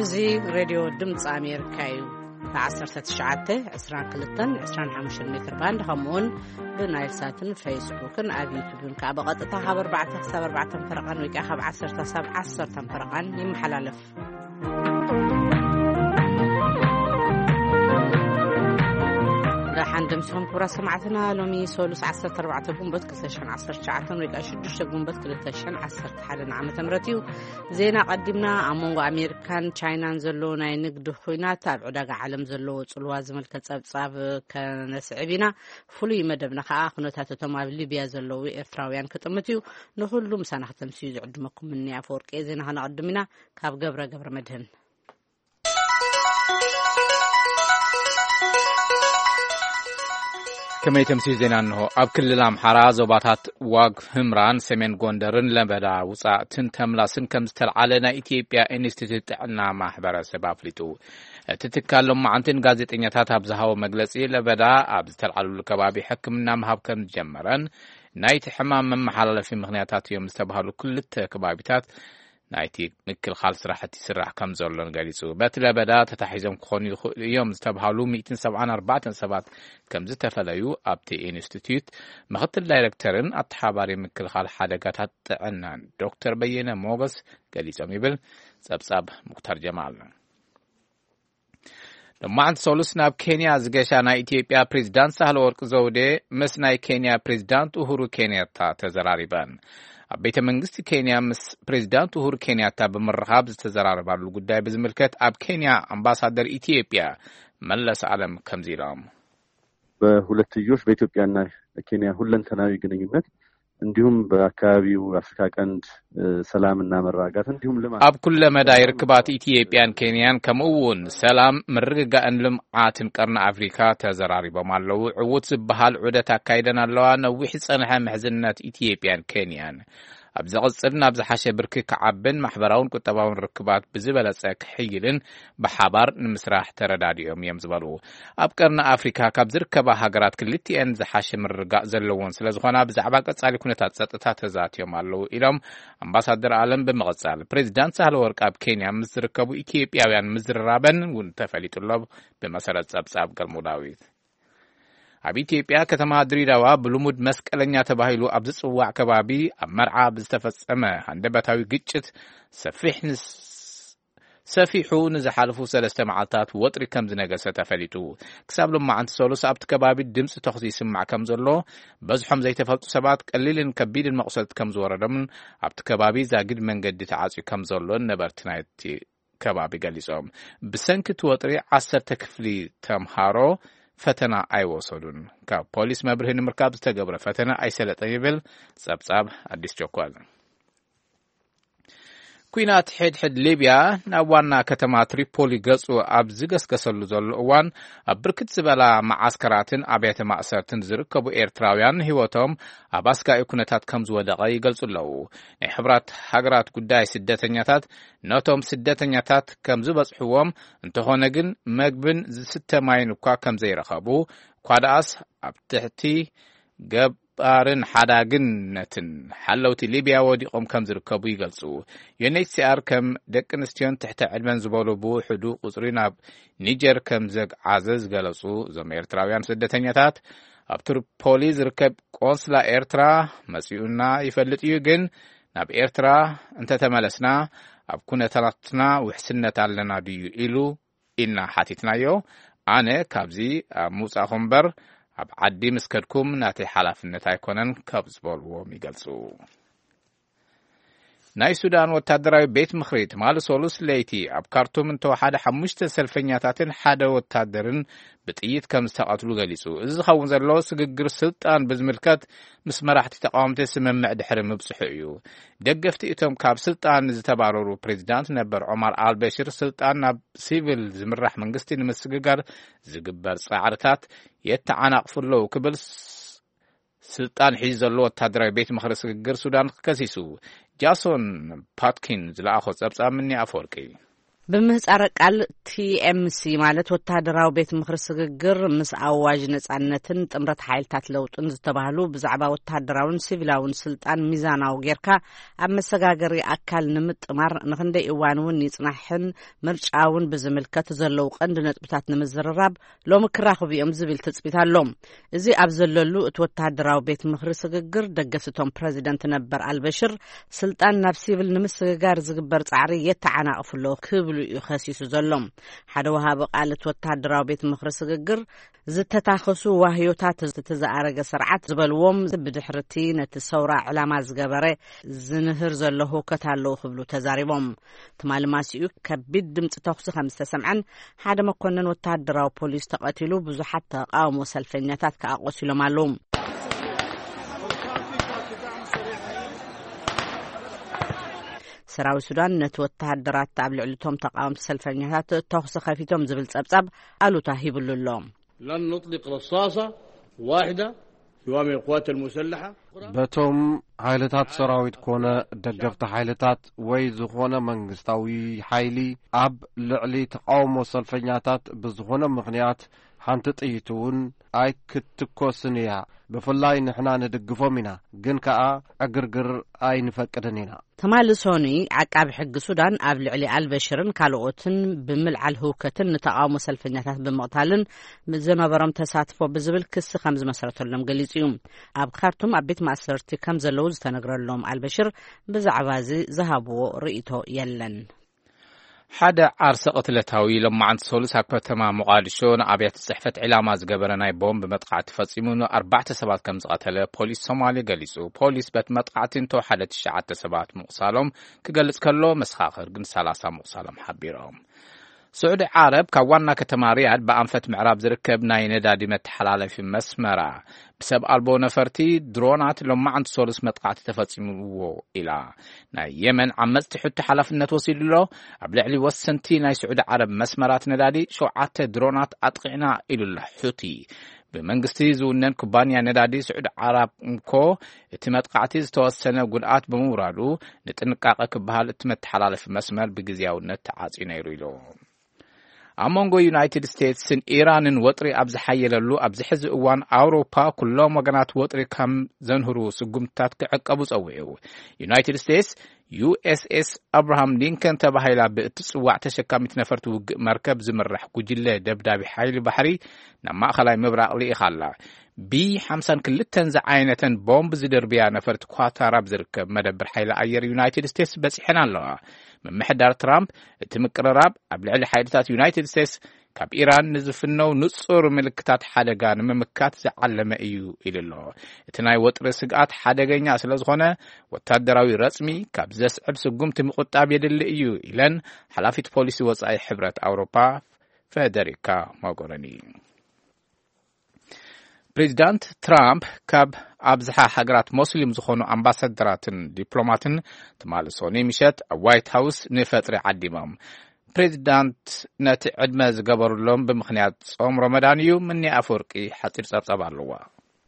እዚ ሬድዮ ድምፂ ኣሜሪካ እዩ። ብ1922 25 ሜትር ባንድ ከምኡውን ብናይል ሳትን ፌስቡክን ኣብ ዩቱብን ከዓ ብቐጥታ ካብ ኣርባዕተ ክሳብ ኣርባዕተ ፈረቓን ወይ ከዓ ካብ ዓሰርተ ክሳብ ዓሰርተ ፈረቓን ይመሓላለፍ። ደሓን ደምስኹም ክቡራት ሰማዕትና። ሎሚ ሶሉስ ዓሰርተ ኣርባዕተ ጉንበት ክልተ ሽሕን ዓሰርተ ትሽዓተን ወይ ከዓ ሽዱሽተ ጉንበት ክልተ ሽሕን ዓሰርተ ሓደን ዓመተ ምህረት እዩ። ዜና ቀዲምና። ኣብ መንጎ ኣሜሪካን ቻይናን ዘሎ ናይ ንግዲ ኹናት ኣብ ዕዳጋ ዓለም ዘለዎ ጽልዋ ዝምልከት ጸብጻብ ከነስዕብ ኢና። ፍሉይ መደብና ከዓ ኩነታት እቶም ኣብ ሊብያ ዘለዉ ኤርትራውያን ክጥምት እዩ። ንኹሉ ምሳና ክተምስዩ ዝዕድመኩም እኒ ኣፈወርቂ ዜና ከነቐድም ኢና። ካብ ገብረ ገብረ መድህን። ከመይ ተምስዩ ዜና እንሆ። ኣብ ክልል ኣምሓራ ዞባታት ዋግ ህምራን ሰሜን ጎንደርን ለበዳ ውጻእትን ተምላስን ከም ዝተልዓለ ናይ ኢትዮጵያ ኢንስቲትዩት ጥዕና ማሕበረሰብ ኣፍሊጡ። እቲ ትካል ሎማዓንትን ጋዜጠኛታት ኣብ ዝሃቦ መግለጺ ለበዳ ኣብ ዝተልዓለሉ ከባቢ ሕክምና ምሃብ ከም ዝጀመረን ናይቲ ሕማም መመሓላለፊ ምኽንያታት እዮም ዝተባህሉ ክልተ ከባቢታት ናይቲ ምክልኻል ስራሕቲ ይስራሕ ከም ዘሎን ገሊጹ። በቲ ለበዳ ተታሒዞም ክኾኑ ይኽእሉ እዮም ዝተባሃሉ ሚእትን ሰብዓን ኣርባዕተን ሰባት ከም ዝተፈለዩ ኣብቲ ኢንስቲትዩት ምኽትል ዳይሬክተርን ኣተሓባሪ ምክልኻል ሓደጋታት ጥዕናን ዶክተር በየነ ሞገስ ገሊጾም ይብል ጸብጻብ ሙክታር ጀማል። ሎማዕንቲ ሰሉስ ናብ ኬንያ ዝገሻ ናይ ኢትዮጵያ ፕሬዚዳንት ሳህለ ወርቅ ዘውዴ ምስ ናይ ኬንያ ፕሬዚዳንት ኡሁሩ ኬንያታ ተዘራሪበን። ኣብ ቤተ መንግስቲ ኬንያ ምስ ፕሬዚዳንት ኡሁሩ ኬንያታ ብምርኻብ ዝተዘራረባሉ ጉዳይ ብዝምልከት ኣብ ኬንያ ኣምባሳደር ኢትዮጵያ መለስ ኣለም ከምዚ ኢሎም። በሁለትዮሽ በኢትዮጵያና ኬንያ ሁለንተናዊ ግንኙነት እንዲሁም በአካባቢው አፍሪካ ቀንድ ሰላምና መረጋጋት እንዲሁም ልማት ኣብ ኩለ መዳይ ርክባት ኢትዮጵያን ኬንያን ከምኡ እውን ሰላም ምርግጋእን ልምዓትን ቀርኒ ኣፍሪካ ተዘራሪቦም ኣለዉ። ዕዉት ዝበሃል ዑደት ኣካይደን ኣለዋ። ነዊሕ ዝጸንሐ ምሕዝነት ኢትዮጵያን ኬንያን ኣብ ዘቕጽል ናብ ዝሓሸ ብርኪ ክዓብን ማሕበራውን ቁጠባውን ርክባት ብዝበለጸ ክሕይልን ብሓባር ንምስራሕ ተረዳዲኦም እዮም ዝበሉ። ኣብ ቀርኒ ኣፍሪካ ካብ ዝርከባ ሃገራት ክልቲኤን ዝሓሸ ምርግጋእ ዘለዎን ስለዝኾና ብዛዕባ ቀጻሊ ኩነታት ጸጥታ ተዛትዮም ኣለዉ ኢሎም ኣምባሳደር ኣለም ብምቕጻል ፕሬዚዳንት ሳህለ ወርቅ ኣብ ኬንያ ምስ ዝርከቡ ኢትዮጵያውያን ምዝርራበን እውን ተፈሊጡ ኣሎ። ብመሰረት ጸብጻብ ገልሞ ዳዊት ኣብ ኢትዮጵያ ከተማ ድሪዳዋ ብልሙድ መስቀለኛ ተባሂሉ ኣብ ዝጽዋዕ ከባቢ ኣብ መርዓ ብዝተፈጸመ ሃንደበታዊ ግጭት ሰፊሕ ንስ ሰፊሑ ንዝሓለፉ ሰለስተ መዓልታት ወጥሪ ከም ዝነገሰ ተፈሊጡ። ክሳብ ሎማዓንቲ ሰሉስ ኣብቲ ከባቢ ድምፂ ተኹሲ ይስማዕ ከም ዘሎ፣ በዝሖም ዘይተፈልጡ ሰባት ቀሊልን ከቢድን መቑሰልቲ ከም ዝወረዶምን ኣብቲ ከባቢ ዛጊድ መንገዲ ተዓፅዩ ከም ዘሎን ነበርቲ ናይቲ ከባቢ ገሊጾም። ብሰንኪ እቲ ወጥሪ ዓሰርተ ክፍሊ ተምሃሮ ፈተና ኣይወሰዱን። ካብ ፖሊስ መብርሂ ንምርካብ ዝተገብረ ፈተና ኣይሰለጠን ይብል ጸብጻብ ኣዲስ ቸኮል። ኲናት ሕድሕድ ሊብያ ናብ ዋና ከተማ ትሪፖሊ ገጹ ኣብ ዝገስገሰሉ ዘሎ እዋን ኣብ ብርክት ዝበላ መዓስከራትን ኣብያተ ማእሰርትን ዝርከቡ ኤርትራውያን ህይወቶም ኣብ ኣስጋኢ ኩነታት ከም ዝወደቐ ይገልጹ ኣለዉ። ናይ ሕቡራት ሃገራት ጉዳይ ስደተኛታት ነቶም ስደተኛታት ከም ዝበጽሕዎም እንተኾነ ግን መግብን ዝስተ ማይን እኳ ከም ዘይረኸቡ እኳ ደኣስ ኣብ ትሕቲ ገባርን ሓዳግነትን ሓለውቲ ሊብያ ወዲቖም ከም ዝርከቡ ይገልጹ። ዩ ኤን ኤች ሲ ኣር ከም ደቂ ኣንስትዮን ትሕተ ዕድመን ዝበሉ ብውሕዱ ቁጽሪ ናብ ኒጀር ከም ዘግዓዘ ዝገለጹ እዞም ኤርትራውያን ስደተኛታት ኣብ ትሪፖሊ ዝርከብ ቆንስላ ኤርትራ መጺኡና ይፈልጥ እዩ፣ ግን ናብ ኤርትራ እንተተመለስና ኣብ ኩነታትና ውሕስነት ኣለና ድዩ ኢሉ ኢልና ሓቲትናዮ። ኣነ ካብዚ ኣብ ምውጻእኹም እምበር ኣብ ዓዲ ምስ ከድኩም ናተይ ሓላፍነት ኣይኮነን ካብ ዝበልዎም ይገልጹ። ናይ ሱዳን ወታደራዊ ቤት ምኽሪ ትማሊ ሰሉስ ለይቲ ኣብ ካርቱም እንተወሓደ ሓሙሽተ ሰልፈኛታትን ሓደ ወታደርን ብጥይት ከም ዝተቐትሉ ገሊጹ። እዚ ዝኸውን ዘሎ ስግግር ስልጣን ብዝምልከት ምስ መራሕቲ ተቃወምቲ ስምምዕ ድሕሪ ምብጽሑ እዩ። ደገፍቲ እቶም ካብ ስልጣን ዝተባረሩ ፕሬዚዳንት ነበር ዑማር ኣልበሽር ስልጣን ናብ ሲቪል ዝምራሕ መንግስቲ ንምስግጋር ዝግበር ጻዕርታት የተዓናቕፉ ኣለዉ ክብል ስ-፣ ስልጣን ሒዙ ዘሎ ወታደራዊ ቤት ምኽሪ ስግግር ሱዳን ከሲሱ። ጃሶን ፓትኪን ዝለኣኾ ጸብጻብ ምኒ ኣፈወርቂ። ብምህጻረ ቃል ቲ ኤም ሲ ማለት ወተሃደራዊ ቤት ምኽሪ ስግግር ምስ ኣዋጅ ነጻነትን ጥምረት ሓይልታት ለውጥን ዝተባህሉ ብዛዕባ ወተሃደራውን ሲቪላውን ስልጣን ሚዛናዊ ጌርካ ኣብ መሰጋገሪ ኣካል ንምጥማር ንኽንደይ እዋን እውን ይጽናሕን ምርጫ እውን ብዝምልከት ዘለዉ ቀንዲ ነጥብታት ንምዝርራብ ሎሚ ክራኽቡ እዮም ዝብል ትጽቢት ኣሎ። እዚ ኣብ ዘለሉ እቲ ወተሃደራዊ ቤት ምኽሪ ስግግር ደገፍቶም ፕረዚደንት ነበር ኣልበሽር ስልጣን ናብ ሲቪል ንምስግጋር ዝግበር ጻዕሪ የተዓናቕፍሎ ክብሉ እዩ ከሲሱ ዘሎ። ሓደ ወሃቢ ቃል እቲ ወተሃደራዊ ቤት ምኽሪ ስግግር ዝተታኸሱ ዋህዮታት እቲ ዝኣረገ ስርዓት ዝበልዎም ብድሕርቲ ነቲ ሰውራ ዕላማ ዝገበረ ዝንህር ዘሎ ህውከት ኣለዉ ክብሉ ተዛሪቦም። ትማሊ ማሲኡ ከቢድ ድምፂ ተኹሲ ከም ዝተሰምዐን ሓደ መኮንን ወተሃደራዊ ፖሊስ ተቐቲሉ ብዙሓት ተቃውሞ ሰልፈኛታት ከዓ ቆሲሎም ኣለዉ። ሰራዊት ሱዳን ነቲ ወተሃደራት ኣብ ልዕሊቶም ተቃወምቲ ሰልፈኛታት ተኹሲ ከፊቶም ዝብል ጸብጻብ ኣሉታ ሂብሉ ኣሎ። لن نطلق رصاصة واحدة سواء من القوات المسلحة በቶም ሓይልታት ሰራዊት ኮነ ደገፍቲ ሓይልታት ወይ ዝኾነ መንግስታዊ ሓይሊ ኣብ ልዕሊ ተቃውሞ ሰልፈኛታት ብዝኾነ ምኽንያት ሓንቲ ጥይት እውን ኣይክትኮስን እያ። ብፍላይ ንሕና ንድግፎም ኢና፣ ግን ከኣ ዕግርግር ኣይንፈቅድን ኢና። ትማሊ ሶኑይ ዓቃቢ ሕጊ ሱዳን ኣብ ልዕሊ ኣልበሽርን ካልኦትን ብምልዓል ህውከትን ንተቃውሞ ሰልፈኛታት ብምቕታልን ዝነበሮም ተሳትፎ ብዝብል ክሲ ከም ዝመስረተሎም ገሊጹ እዩ። ኣብ ካርቱም ኣብ ቤት ማእሰርቲ ከም ዘለዉ ዝተነግረሎም ኣልበሽር ብዛዕባ እዚ ዝሃብዎ ርእይቶ የለን። ሓደ ዓርሰ ቅትለታዊ ሎማዓንቲ ሰሉስ ኣብ ከተማ ሞቓዲሾ ንኣብያተ ጽሕፈት ዕላማ ዝገበረ ናይ ቦምብ መጥቃዕቲ ፈጺሙ ንኣርባዕተ ሰባት ከም ዝቐተለ ፖሊስ ሶማሌ ገሊጹ። ፖሊስ በቲ መጥቃዕቲ እንተወሓደ ትሽዓተ ሰባት ምቑሳሎም ክገልጽ ከሎ፣ መሰኻኽር ግን ሰላሳ ምቑሳሎም ሓቢሮም። ስዑዲ ዓረብ ካብ ዋና ከተማ ሪያድ ብኣንፈት ምዕራብ ዝርከብ ናይ ነዳዲ መተሓላለፊ መስመራ ብሰብ ኣልቦ ነፈርቲ ድሮናት ሎማዓንቲ ሰሉስ መጥቃዕቲ ተፈጺምዎ ኢላ። ናይ የመን ዓመጽቲ ሑቲ ሓላፍነት ወሲዱ ኣሎ። ኣብ ልዕሊ ወሰንቲ ናይ ስዑዲ ዓረብ መስመራት ነዳዲ ሸውዓተ ድሮናት ኣጥቒዕና ኢሉ ኣሎ ሑቲ። ብመንግስቲ ዝውነን ኩባንያ ነዳዲ ስዑዲ ዓረብ እኮ እቲ መጥቃዕቲ ዝተወሰነ ጉድኣት ብምውራዱ ንጥንቃቐ ክበሃል እቲ መተሓላለፊ መስመር ብግዝያውነት ተዓጽዩ ነይሩ ኢሉ። ኣብ መንጎ ዩናይትድ ስቴትስን ኢራንን ወጥሪ ኣብ ዝሓየለሉ ኣብዚ ሕዚ እዋን ኣውሮፓ ኩሎም ወገናት ወጥሪ ከም ዘንህሩ ስጉምትታት ክዕቀቡ ጸዊዑ። ዩናይትድ ስቴትስ ዩ ኤስ ኤስ ኣብርሃም ሊንከን ተባሂላ ብእትጽዋዕ ተሸካሚት ነፈርቲ ውግእ መርከብ ዝምራሕ ጉጅለ ደብዳቢ ሓይሊ ባሕሪ ናብ ማእኸላይ ምብራቕ ልኢኻ ኣላ። ቢ ሓምሳን ክልተን ዝዓይነተን ቦምብ ዝድርብያ ነፈርቲ ኳታር ኣብ ዝርከብ መደብር ሓይሊ ኣየር ዩናይትድ ስቴትስ በጺሐን ኣለዋ። ምምሕዳር ትራምፕ እቲ ምቅርራብ ኣብ ልዕሊ ሓይልታት ዩናይትድ ስቴትስ ካብ ኢራን ንዝፍነው ንጹር ምልክታት ሓደጋ ንምምካት ዝዓለመ እዩ ኢሉ ኣሎ። እቲ ናይ ወጥሪ ስግኣት ሓደገኛ ስለ ዝኾነ ወታደራዊ ረጽሚ ካብ ዘስዕብ ስጉምቲ ምቁጣብ የድሊ እዩ ኢለን ሓላፊት ፖሊሲ ወጻኢ ሕብረት ኣውሮፓ ፈደሪካ ሞጎረኒ። ፕሬዚዳንት ትራምፕ ካብ ኣብዝሓ ሃገራት ሞስሊም ዝኾኑ ኣምባሳደራትን ዲፕሎማትን ትማሊ ሶኒ ምሸት ኣብ ዋይት ሃውስ ንፈጥሪ ዓዲሞም። ፕሬዚዳንት ነቲ ዕድመ ዝገበሩሎም ብምኽንያት ጾም ረመዳን እዩ። ምኒ ኣፈወርቂ ሓጺር ጸብጻብ ኣለዋ።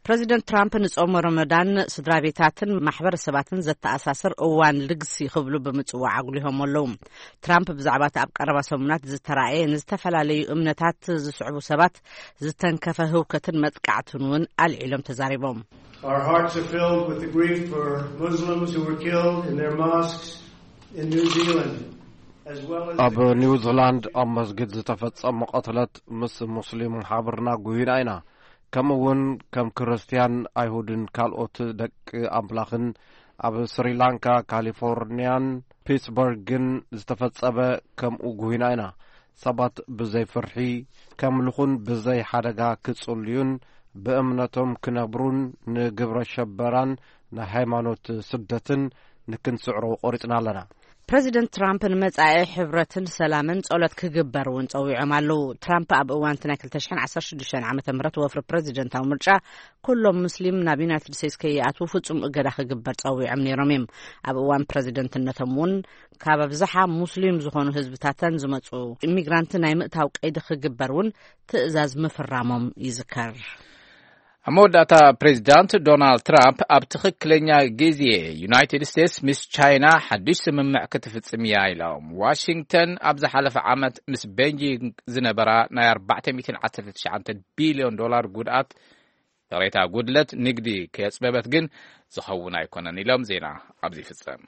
ፕሬዚደንት ትራምፕ ንጾም ረመዳን ስድራ ቤታትን ማሕበረሰባትን ዘተኣሳስር እዋን ልግሲ ክብሉ ብምጽዋዕ ኣጉሊሆም ኣለዉ። ትራምፕ ብዛዕባ እቲ ኣብ ቀረባ ሰሙናት ዝተራእየ ንዝተፈላለዩ እምነታት ዝስዕቡ ሰባት ዝተንከፈ ህውከትን መጥቃዕትን እውን ኣልዒሎም ተዛሪቦም። Our hearts are filled with the grief for Muslims who were killed in their mosques in New Zealand, as well as ኣብ ኒውዚላንድ ኣብ መስጊድ ዝተፈጸመ ቅትለት ምስ ሙስሊም ሓብርና ጉሂና ኢና። ከምኡ እውን ከም ክርስትያን፣ ኣይሁድን ካልኦት ደቂ ኣምላኽን ኣብ ስሪላንካ፣ ካሊፎርንያን ፒትስበርግን ዝተፈጸመ ከምኡ ጉሂና ኢና። ሰባት ብዘይ ፍርሒ ከምልኹን ብዘይ ሓደጋ ክጽልዩን ብእምነቶም ክነብሩን ንግብረ ሸበራን ንሃይማኖት ስደትን ንክንስዕሮ ቆሪጽና ኣለና። ፕረዚደንት ትራምፕ ንመጻኢ ሕብረትን ሰላምን ጸሎት ክግበር እውን ጸዊዖም ኣለዉ። ትራምፕ ኣብ እዋን እቲ ናይ ክልተ ሽሕን ዓሰርተ ሽዱሽተን ዓመተ ምህረት ወፍሪ ፕረዚደንታዊ ምርጫ ኩሎም ሙስሊም ናብ ዩናይትድ ስቴትስ ከይኣትዉ ፍጹም እገዳ ክግበር ጸዊዖም ነይሮም እዮም። ኣብ እዋን ፕረዚደንትነቶም እውን ካብ ኣብዝሓ ሙስሊም ዝኾኑ ህዝብታተን ዝመጹ ኢሚግራንት ናይ ምእታው ቀይዲ ክግበር እውን ትእዛዝ ምፍራሞም ይዝከር። መወዳእታ፣ ፕሬዚዳንት ዶናልድ ትራምፕ ኣብ ትኽክለኛ ግዜ ዩናይትድ ስቴትስ ምስ ቻይና ሓድሽ ስምምዕ ክትፍጽም እያ ኢሎም። ዋሽንግተን ኣብ ዝሓለፈ ዓመት ምስ ቤጂንግ ዝነበራ ናይ ኣርባዕተ ሚእትን ዓሰርተ ትሽዓተ ቢልዮን ዶላር ጉድኣት፣ ይቕሬታ፣ ጉድለት ንግዲ ከየጽበበት ግን ዝኸውን ኣይኮነን ኢሎም። ዜና ኣብዚ ይፍጸም።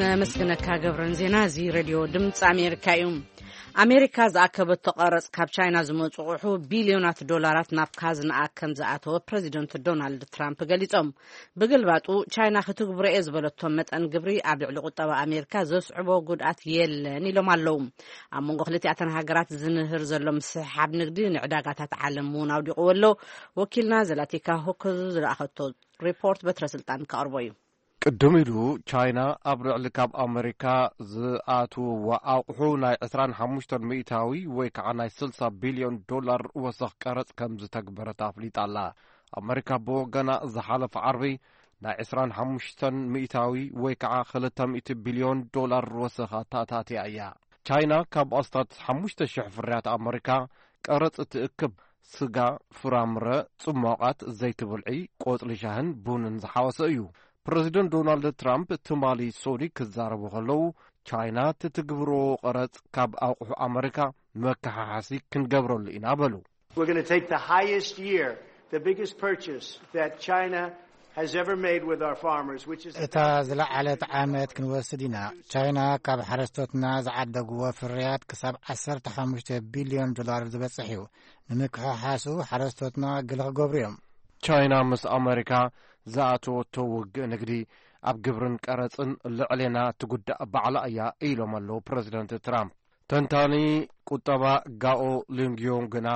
ነመስግነካ ገብረን። ዜና እዚ ሬድዮ ድምፂ ኣሜሪካ እዩ። ኣሜሪካ ዝኣከበቶ ቀረፅ ካብ ቻይና ዝመፁ ኣቑሑ ቢልዮናት ዶላራት ናብ ካዝናኣ ከም ዝኣተወ ፕሬዚደንት ዶናልድ ትራምፕ ገሊፆም። ብግልባጡ፣ ቻይና ክትግብሮ እየ ዝበለቶ መጠን ግብሪ ኣብ ልዕሊ ቁጠባ ኣሜሪካ ዘስዕቦ ጉድኣት የለን ኢሎም ኣለዉ። ኣብ መንጎ ክልቲኣተን ሃገራት ዝንህር ዘሎ ምስሕሓብ ንግዲ ንዕዳጋታት ዓለም እውን ኣውዲቕዎ ኣሎ። ወኪልና ዘላቲካ ሆኮዙ ዝለኣኸቶ ሪፖርት በትረ ስልጣን ከቕርቦ እዩ። ቅድም ኢሉ፣ ቻይና ኣብ ልዕሊ ካብ ኣመሪካ ዝኣትውዋ ኣቑሑ ናይ ዕስራን ሓሙሽተን ሚእታዊ ወይ ከዓ ናይ ስልሳ ቢልዮን ዶላር ወሰኽ ቀረጽ ከም ዝተግበረት ኣፍሊጣ ኣላ። ኣመሪካ ብወገና፣ ዝሓለፈ ዓርቢ ናይ ዕስራን ሓሙሽተን ሚእታዊ ወይ ከዓ ክልተ ሚእቲ ቢልዮን ዶላር ወሰኽ ኣተኣታትያ እያ። ቻይና ካብ ኣስታት ሓሙሽተ ሽሕ ፍርያት ኣመሪካ ቀረጽ እትእክብ፣ ስጋ፣ ፍራምረ፣ ጽሟቓት፣ ዘይቲ ብልዒ፣ ቆጽሊ ሻህን ቡንን ዝሓወሰ እዩ። ፕረዚደንት ዶናልድ ትራምፕ ትማሊ ሶዲ ክዛረቡ ከለዉ፣ ቻይና ትትግብሮ ቀረጽ ካብ ኣቑሑ ኣመሪካ መከሓሓሲ ክንገብረሉ ኢና በሉ። We're going to take the highest year, the biggest purchase that China has ever made with our farmers, which is እታ ዝለዓለት ዓመት ክንወስድ ኢና። ቻይና ካብ ሓረስቶትና ዝዓደግዎ ፍርያት ክሳብ ዓሰርተ ሓሙሽተ ቢልዮን ዶላር ዝበጽሕ እዩ። ንምክሕሓሱ ሓረስቶትና ግለ ክገብሩ እዮም። ቻይና ምስ ኣመሪካ ዝኣተወቶ ውግእ ንግዲ ኣብ ግብርን ቀረጽን ልዕሌና ትጉዳእ ባዕላ እያ ኢሎም ኣለዉ ፕረዚደንት ትራምፕ። ተንታኒ ቁጠባ ጋኦ ሊንግዮን ግና፣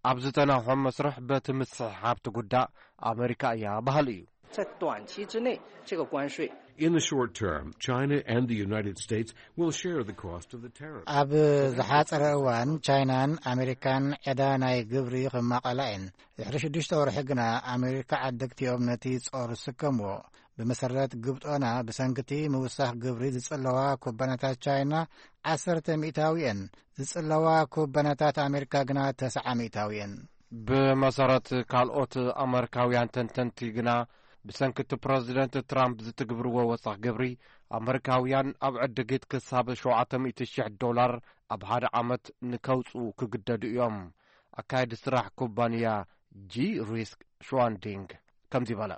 ኣብ ዝተናውሐ መስርሕ በቲ ምስሕሓብ ትጉዳእ ኣመሪካ እያ በሃሊ እዩ። 在短期之内，这个关税 In the short term, China and the United States will share the cost of the tariff. ኣብ ዝሓጸረ እዋን፣ ቻይናን ኣሜሪካን ዕዳ ናይ ግብሪ ክማቐላ እየን። ድሕሪ ሽዱሽተ ወርሒ ግና፣ ኣሜሪካ ዓደግቲኦም ነቲ ጾር ዝስከምዎ። ብመሰረት ግብጦና፣ ብሰንክቲ ምውሳኽ ግብሪ ዝጽለዋ ኩባንያታት ቻይና ዓሰርተ ሚእታዊ እየን። ዝጽለዋ ኩባንያታት ኣሜሪካ ግና ተስዓ ሚእታዊ እየን። ብመሰረት ካልኦት ኣመሪካውያን ተንተንቲ ግና፣ ብሰንኪ እቲ ፕረዚደንት ትራምፕ ዝትግብርዎ ወሰኽ ግብሪ፣ ኣመሪካውያን ኣብ ዕድጊት ክሳብ ሸውዓተ ሚእቲ ሽሕ ዶላር ኣብ ሓደ ዓመት ንከውጽኡ ክግደዱ እዮም። ኣካየዲ ስራሕ ኩባንያ ጂ ሪስክ ሽዋንዲንግ ከምዚ በለ።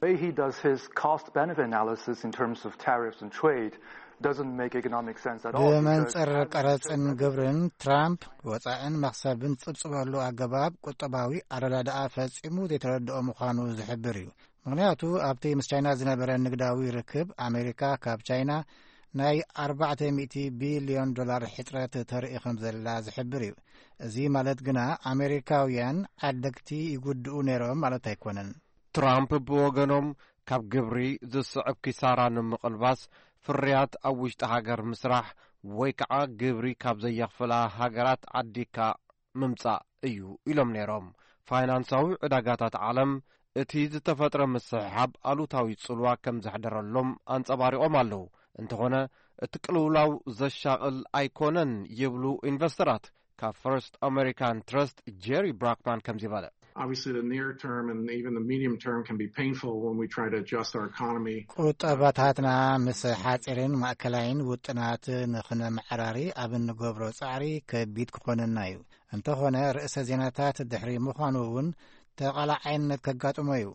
Way he does his cost benefit analysis in terms of tariffs and trade doesn't make economic sense at all, because ብመንጽር ቀረጽን ግብርን፣ ትራምፕ ወጻእን መኽሰብን ዝጽብጽበሉ ኣገባብ ቁጠባዊ ኣረዳድኣ ፈጺሙ ዘይተረድኦ ምዃኑ ዝሕብር እዩ። ምኽንያቱ፣ ኣብቲ ምስ ቻይና ዝነበረ ንግዳዊ ርክብ፣ ኣሜሪካ ካብ ቻይና ናይ ኣርባዕተ ሚእቲ ቢልዮን ዶላር ሕጽረት ተርኢ ከም ዘላ ዝሕብር እዩ። እዚ ማለት ግና፣ ኣሜሪካውያን ዓደግቲ ይጉድኡ ነይሮም ማለት ኣይኮነን። ትራምፕ ብወገኖም፣ ካብ ግብሪ ዝስዕብ ኪሳራ ንምቕልባስ፣ ፍርያት ኣብ ውሽጢ ሃገር ምስራሕ ወይ ከዓ ግብሪ ካብ ዘየኽፍላ ሃገራት ዓዲግካ ምምጻእ እዩ ኢሎም ነይሮም። ፋይናንሳዊ ዕዳጋታት ዓለም፣ እቲ ዝተፈጥረ ምስሕሓብ ኣሉታዊ ጽልዋ ከም ዘሕደረሎም ኣንጸባሪቖም ኣለዉ። እንተኾነ፣ እቲ ቅልውላው ዘሻቕል ኣይኮነን ይብሉ ኢንቨስተራት። ካብ ፈርስት ኣሜሪካን ትረስት ጄሪ ብራክማን ከምዚ በለ። Obviously, the near term and even the medium term can be painful when we try to adjust our economy. ቁጠባታትና ምስ ሓጺርን ማእከላይን ውጥናት ንኽነመዓራሪ ኣብ እንገብሮ ጻዕሪ ከቢድ ክኾነና እዩ። እንተኾነ፣ ርእሰ ዜናታት ድሕሪ ምዃኑ እውን ተቓላዓይነት ከጋጥሞ እዩ።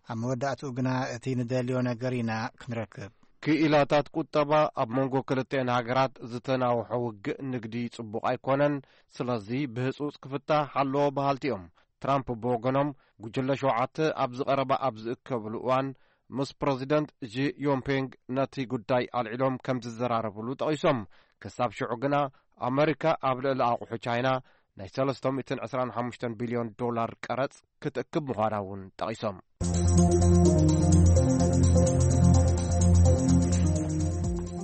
ኣብ መወዳእትኡ ግና፣ እቲ ንደልዮ ነገር ኢና ክንረክብ። ክኢላታት ቁጠባ፣ ኣብ መንጎ ክልተን ሃገራት ዝተናውሐ ውግእ ንግዲ ጽቡቕ ኣይኮነን፣ ስለዚ ብህጹጽ ክፍታሕ ኣለዎ በሃልቲ እዮም። ትራምፕ ብወገኖም፣ ጉጅለ ሸውዓተ ኣብ ዝቐረባ ኣብ ዝእከብሉ እዋን፣ ምስ ፕረዚደንት ጂ ዮንፔንግ ነቲ ጉዳይ ኣልዒሎም ከም ዝዘራረብሉ ጠቒሶም። ክሳብ ሽዑ ግና፣ ኣመሪካ ኣብ ልዕሊ ኣቑሑ ቻይና ናይ ሰለስተ ሚእትን ዕስራን ሓሙሽተን ቢልዮን ዶላር ቀረጽ ክትእክብ ምዃና እውን ጠቒሶም።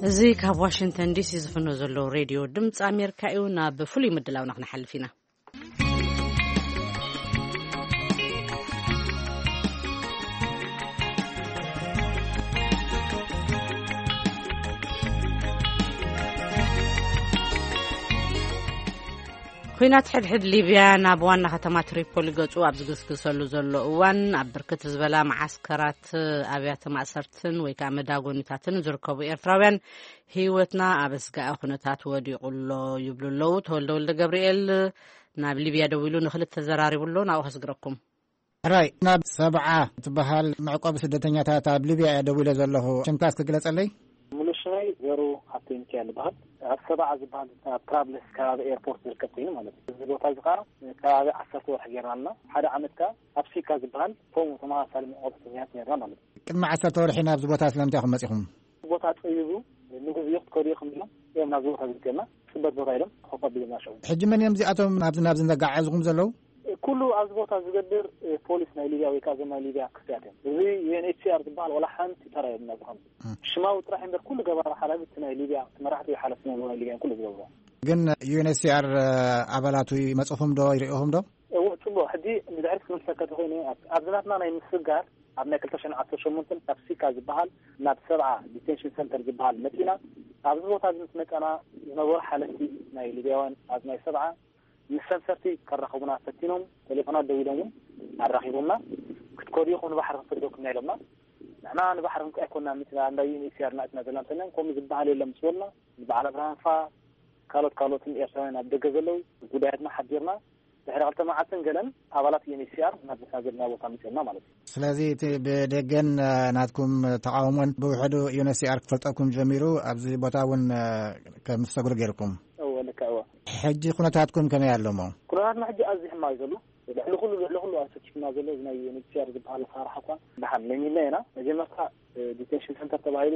እዚ ካብ ዋሽንግተን ዲሲ ዝፍኖ ዘሎ ሬድዮ ድምፂ ኣሜሪካ እዩ። ናብ ፍሉይ ምድላውና ክንሓልፍ ኢና። ኲናት ሕድሕድ ሊብያ ናብ ዋና ከተማ ትሪፖሊ ገጹ ኣብ ዝግስግሰሉ ዘሎ እዋን፣ ኣብ ብርክት ዝበላ መዓስከራት ኣብያተ ማእሰርትን ወይ ከዓ መዳጎኒታትን ዝርከቡ ኤርትራውያን፣ ህይወትና ኣብ ኣስጋኢ ኩነታት ወዲቑ ኣሎ ይብሉ ኣለዉ። ተወልደ ወልደ ገብርኤል ናብ ሊብያ ደዊሉ ንኽልተ ዘራሪቡ ኣሎ። ናብኡ ከስግረኩም። ሕራይ፣ ናብ ሰብዓ ትበሃል መዕቆቢ ስደተኛታት ኣብ ሊብያ እየ ደዊለ ዘለኹ። ሽምካ እስኪ ግለጸለይ። ሙሉ ሽመይ ዘሩ ሃብተ ሚካኤል ይበሃል። ኣብ ሰብዓ ዝበሃል ኣብ ትራብልስ ከባቢ ኤርፖርት ዝርከብ ኮይኑ ማለት እዩ። እዚ ቦታ እዚ ከዓ ከባቢ ዓሰርተ ወርሒ ጌርና ኣለና። ሓደ ዓመት ከዓ ኣብ ሲካ ዝበሃል ከምኡ ተመሳሳሊ መዕቆቢ ስደተኛታት ነርና ማለት እዩ። ቅድሚ ዓሰርተ ወርሒ ናብዚ ቦታ ስለምንታይ ኢኹም መጺኹም? ቦታ ጸቢቡ፣ ንግዜኡ ክትከዱ ኢኹም ኢሎም እዮም ናብዚ ቦታ ዝልክየና። ጽበት ቦታ ኢሎም ኮፍ ኣቢሎምና ሽዑ። ሕጂ መን እዮም እዚኣቶም ናብዚ ናብዚ ዘጋዓዕዝኹም ዘለዉ? ኩሉ ኣብዚ ቦታ ዝገብር፣ እ፣ ፖሊስ ናይ ሊብያ ወይ ከዓ እዞም ናይ ሊብያ ክፍትያት እዮም። እዚ ዩ ኤን ኤች ሲ ኣር ዝበሃል ዋላ ሓንቲ ተራ የብሉን ኣብዚ ከምዚ። እም። ሽማዊ ጥራሕ እምበር ኩሉ ገባሪ ሓላፊ እቲ ናይ ሊብያ፣ እቲ መራሕቲ ወይ ሓለፍቲ ናይ ሊብያ ኩሉ ዝገብርዎ። ግን ዩ ኤን ኤች ሲ ኣር ኣባላቱ ይመጽኹም ዶ ይርእኹም ዶ? እወ፣ ጽቡቕ። ሕጂ ንድሕሪት ክምልሰካ ተኾይነ፣ ኣብ፣ ኣብዚ ናትና ናይ ምስጋር፣ ኣብ ናይ ክልተ ሽሕን ዓሰርተ ሸሞንተን ካብ ሲካ ዝበሃል ናብ ሰብዓ ዲቴንሽን ሰንተር ዝበሃል መጺና። ኣብዚ ቦታ እዚ ምስ መጸና ዝነበሩ ሓለፍቲ ናይ ሊብያውያን ኣብ ናይ ሰብዓ ምስ ሰንሰርቲ ከራኸቡና ፈቲኖም፣ ቴሌፎናት ደዊሎም እውን ኣራኺቦምና። ክትከዱ ኢኹም ንባሕሪ ክንሰደኩም ኢና ኢሎምና። ንሕና ንባሕሪ ክንከ ኣይኮንና መጺና፣ እንዳ ዩ ኤን ኤች ሲ ኣር ናትና ዘለና እንተና ከምኡ ዝበሃል የለን ምስ በሉና፣ ንበዓል ኣብርሃም ፋ ካልኦት ካልኦትን ኤርትራውያን ኣብ ደገ ዘለዉ ጉዳያትና ሓቢርና ድሕሪ ክልተ መዓልትን ገለን ኣባላት ዩ ኤን ኤች ሲ ኣር ናብ ዘለና ዘለና ቦታ መጺኦምና ማለት እዩ። ስለዚ እቲ ብደገን፣ እ፣ ናትኩም ተቃውሞን ብውሕዱ ዩ ኤን ኤች ሲ ኣር ክፈልጠኩም ጀሚሩ ኣብዚ ቦታ እውን፣ እ፣ ከም ትሰግሩ ገይርኩም። እወ፣ ልክዕ፣ እወ። ሕጂ ኩነታትኩም ከመይ ኣሎ እሞ? ኩነታትና ሕጂ ኣዝዩ ሕማቕ እዩ ዘሎ። ልዕሊ ኩሉ፣ ልዕሊ ኩሉ ኣሰኪፍና ዘሎ እዚ ናይ ዩ ኤን ኤች ሲ ኣር ዝበሃል ኣሰራርሓ እኳ ደሓን ለሚድና ኢና። መጀመርታ፣ እ፣ ዲቴንሽን ሰንተር ተባሂሉ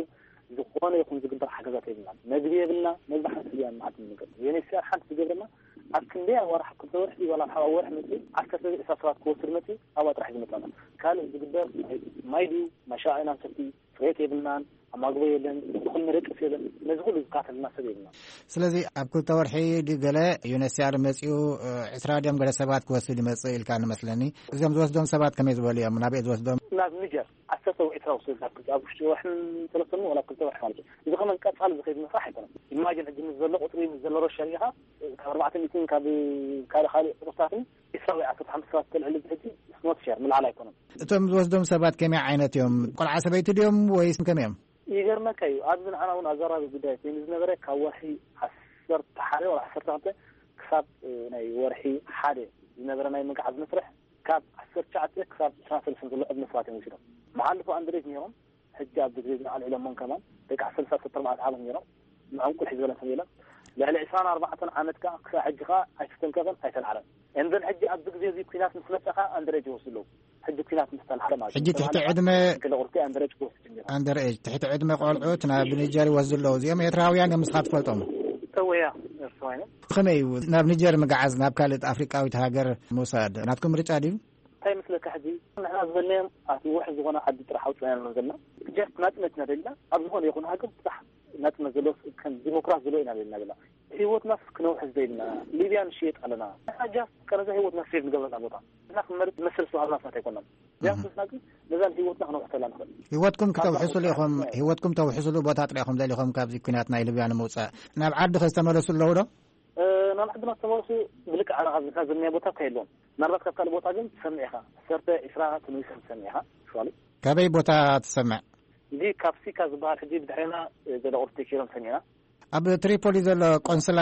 ዝኾነ ይኹን ዝግበር ሓገዛት የብልናን። መግቢ የብልና፣ መግቢ ሓንቲ እያ መዓት ንመገብ። ዩ ኤን ኤች ሲ ኣር ሓንቲ ዝገብረና ኣብ ክንደይ ኣዋርሕ፣ ክልተ ወርሒ ዋላ ኣብ ወርሒ መፅእ ዓሰርተ ዕስራ ሰባት ክወስድ መፅእ ኣብኣ ጥራሕ ዝመፃና። ካልእ ዝግበር ማይ ድዩ፣ ማይ ሻዕ ኢና ንሰቲ፣ ፅሬት የብልናን፣ ኣማግቦ የለን፣ እኹል መደቀሲ የለን። ነዚ ኩሉ ዝካተልና ሰብ የብልና። ስለዚ ኣብ ክልተ ወርሒ ድዩ ገለ ዩ ኤን ኤች ሲ ኣር መፂኡ፣ እ፣ ዕስራ ድዮም ገለ ሰባት ክወስድ ይመፅእ ኢልካ ንመስለኒ። እዚኦም ዝወስዶም ሰባት ከመይ ዝበሉ እዮም? ናበይ ዝወስዶም? ናብ ኒጀር። ዓሰርተ ወይ ዕስራ ወስድ ኣብ ክልተ፣ ኣብ ውሽጢ ወርሕን ሰለስተን ወላ ክልተ ወርሒ ማለት እዩ። እዚ ከመን ቀጻሊ ዝኸይድ መስራሕ ኣይኮነን። ኢማጂን ሕጂ ምስ ዘሎ ቁጽሪ፣ ምስ ዘሎ ረብሻ ርኢኻ፣ ካብ ኣርባዕተ ሚእትን ካብ ካልእ ካልእ ቁጽርታትን ዕስራ ወይ ዓሰርተ ሓሙሽተ ሰባት ተልዕል ሕጂ ስኖት ሸር ምልዓል ኣይኮነን። እቶም ዝወስዶም ሰባት ከመይ ዓይነት እዮም? ቆልዓ ሰበይቲ ድዮም ወይስ ከመይ እዮም? ይገርመካ እዩ። ኣብዚ ንዓና እውን ኣዘራቢ ጉዳይ ኮይኑ ዝነበረ ካብ ወርሒ ዓሰርተ ሓደ ወላ ዓሰርተ ክልተ ክሳብ፣ እ፣ ናይ ወርሒ ሓደ ዝነበረ ናይ ምግዓዝ መስርሕ ካብ ዓሰርተ ትሽዓተ ክሳብ ዕስራን ሰለስተን ዘሎ ዕድመ ሰባት እዮም ወሲዶም። መሓልፎ ኣንድሬጅ ነይሮም፣ ሕጂ ኣብዚ ግዜ ግን ኣልዒሎሞም ከማን ደቂ ዓሰርተ ሰለስተ ኣርባዕተ ዓመት ነይሮም። ንዕንቁል ሒዝ በለን ሰብ የለን። ልዕሊ ዕስራን ኣርባዕተን ዓመት ከኣ ክሳብ ሕጂ ከኣ ኣይተተንከፈን ኣይተልዓለን። እንደን ሕጂ ኣብዚ ግዜ እዚ ኲናት ምስ መጸ ከኣ ኣንድሬጅ ይወስዱ ኣለዉ። ሕጂ ኲናት ምስ ተልዓለ ማለት እዩ። ሕጂ ትሕቲ ዕድመ ገለ ቁርሲ ኣንድሬጅ ክወስድ ጀሚሩ። ኣንደር ኤጅ፣ ትሕቲ ዕድመ ቆልዑት ናብ ኒጀር ይወስዱ ኣለዉ። እዚኦም ኤርትራውያን እዮም፣ ንስኻ ትፈልጦም? እወ፣ እያ፣ ኤርትራውያን እዮም። ከመይ እዩ ናብ ኒጀር ምግዓዝ፣ ናብ ካልእ ኣፍሪቃዊት ሃገር ምውሳድ ናትኩም ምርጫ ድዩ? እንታይ ይመስለካ፣ ሕጂ ንሕና ዝበልናዮም ኣቲ ውሕ ዝኾነ ዓዲ ጥራሕ ኣውፅና ኢና ዘለና። ጀስት ናፅነት ኢና ደሊና፣ ኣብ ዝኾነ ይኹን ሃገር ጥራሕ ናፅነት ዘለዎ፣ ከም ዲሞክራት ዘለዎ ኢና ደሊና ዘለና። ህይወትናስ ክነውሕስ ደሊና፣ ሊብያ ንሽየጥ ኣለና። ንሕና ጃስት ከነዛ ህይወትና ሴቭ ንገብረላ ቦታ ንሕና ክንመርፅ ዝመስል ዝተዋሃብና ሰባት ኣይኮናን። ጃስት ንሕና ግን ነዛን ህይወትና ክነውሕሰላ ንኽእል። ህይወትኩም ክተውሕሱሉ ኢኹም፣ ህይወትኩም ተውሕሱሉ ቦታ ጥራሕ ኢኹም ደሊኹም ካብዚ ኲናት ናይ ሊብያ ንምውፃእ። ናብ ዓዲ ኸ ዝተመለሱ ኣለዉ ዶ? እ፣ ናብ ዓድና ዝተመለሱ ብልክዕ ኣነ ካብ ዝካ ዝምያ ቦታ እኳ የለዎም። ምናልባት ካብ ካልእ ቦታ ግን ትሰምዕ ኢኻ። ዓሰርተ፣ ዕስራ ተመሊሶም ትሰምዕ ኢኻ። ሸዋሊ። ካበይ ቦታ ትሰምዕ? እዚ ካብ ሲካ ዝበሃል ሕጂ ብድሕሬና፣ እ፣ ዘሎ ቁርሲ ተኪሎም ሰሚዕና። ኣብ ትሪፖሊ ዘሎ ቆንስላ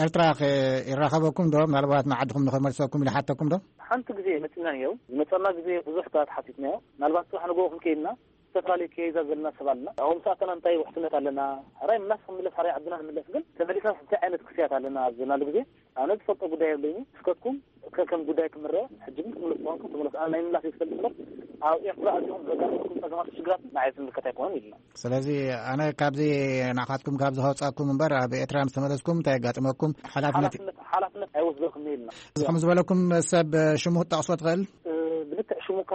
ኤርትራ ኸ ይራኸበኩም ዶ? ምናልባት ንዓድኹም ንኸመልሰኩም ኢሉ ሓተኩም ዶ? ሓንቲ ግዜ መጺና ነይሩ። ዝመጸና ግዜ ብዙሕ ሰባት ሓቲትናዮ። ምናልባት ጽባሕ ንግሆ ክንከይድና ዝተፈላለዩ ከይዛ ዘለና ሰብ ኣለና። ኣብኦም ሰኣተና እንታይ ውሕስነት ኣለና? ሕራይ ምላስ ክንምለስ፣ ሕራይ ዓድና ንምለስ፣ ግን ተመሊስና እንታይ ዓይነት ክስያት ኣለና ኣብ ዘናሉ ግዜ ኣነ ዝፈልጦ ጉዳይ የብለይን። እስከትኩም ከከም ጉዳይ ክምረ፣ ሕጂ ግን ክትምለሱ ምዃንኩም ተመለሱ። ኣነ ናይ ምላስ ይፈልጥ እምበር፣ ኣብ ኤርትራ ኣዚኹም ዘጋጥመኩም ጸገማት ሽግራት ንዓይ ዝምልከት ኣይኮነን ኢልና። ስለዚ ኣነ ካብዚ ንዓኻትኩም ካብ ዝኸውጻኩም እምበር፣ ኣብ ኤርትራ ምስ ተመለስኩም እንታይ የጋጥመኩም? ሓላፍነት ሓላፍነት፣ ሓላፍነት ኣይወስደኩም ኢልና። እዚ ከም ዝበለኩም ሰብ ሽሙ ክትጠቕሶ ትኽእል? እ፣ ብልክዕ ሽሙ እኳ